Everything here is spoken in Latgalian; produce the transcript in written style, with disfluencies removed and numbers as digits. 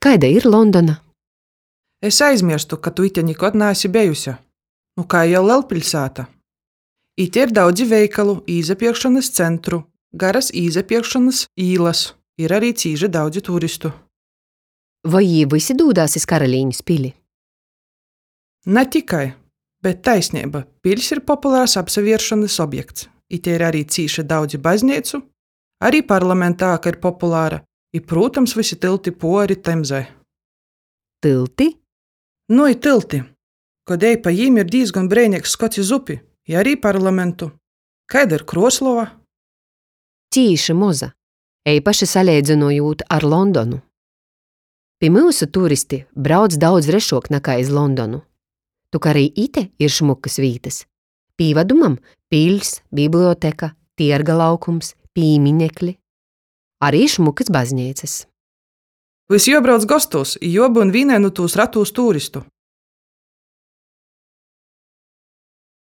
Kaida ir Londona? Es aizmierstu, ka tu ite nikod neesi bejuse. Nu, kai jau lelpiļsāta. Ite ir daudzi veikalu, īsapierkšonys centru, garys īsapierkšonys īlys. Ir ari cīši daudzi turistu. Voi jī vysi dūdās iz karalīnis pili? Na tikai, bet taisneiba, piļs ir populars apsavieršonys objekts. Ite ir ari cīši daudzi bazneicu, ari parlamenta āka ir populara, i, prūtams, vysi tylti puori Temzai. Tylti? Nu i tylti. Kod ej pa jim, ir dīzgon breineigs skots iz upi i ari parlamentu. Kaida ir Kruoslova? Cīši moza, eipaši saleidzynojūt ar Londonu. Pi myusu turisti brauc daudz rešuok nakai iz Londonu. Tok ari ite ir šmukys vītys. Pīvadumam, piļs, biblioteka, tierga laukums, pīminekli. Ari šmukys bazneicys. Vys juobrauc gostūs i juobyun vīnai nu tūs ratūs turistu.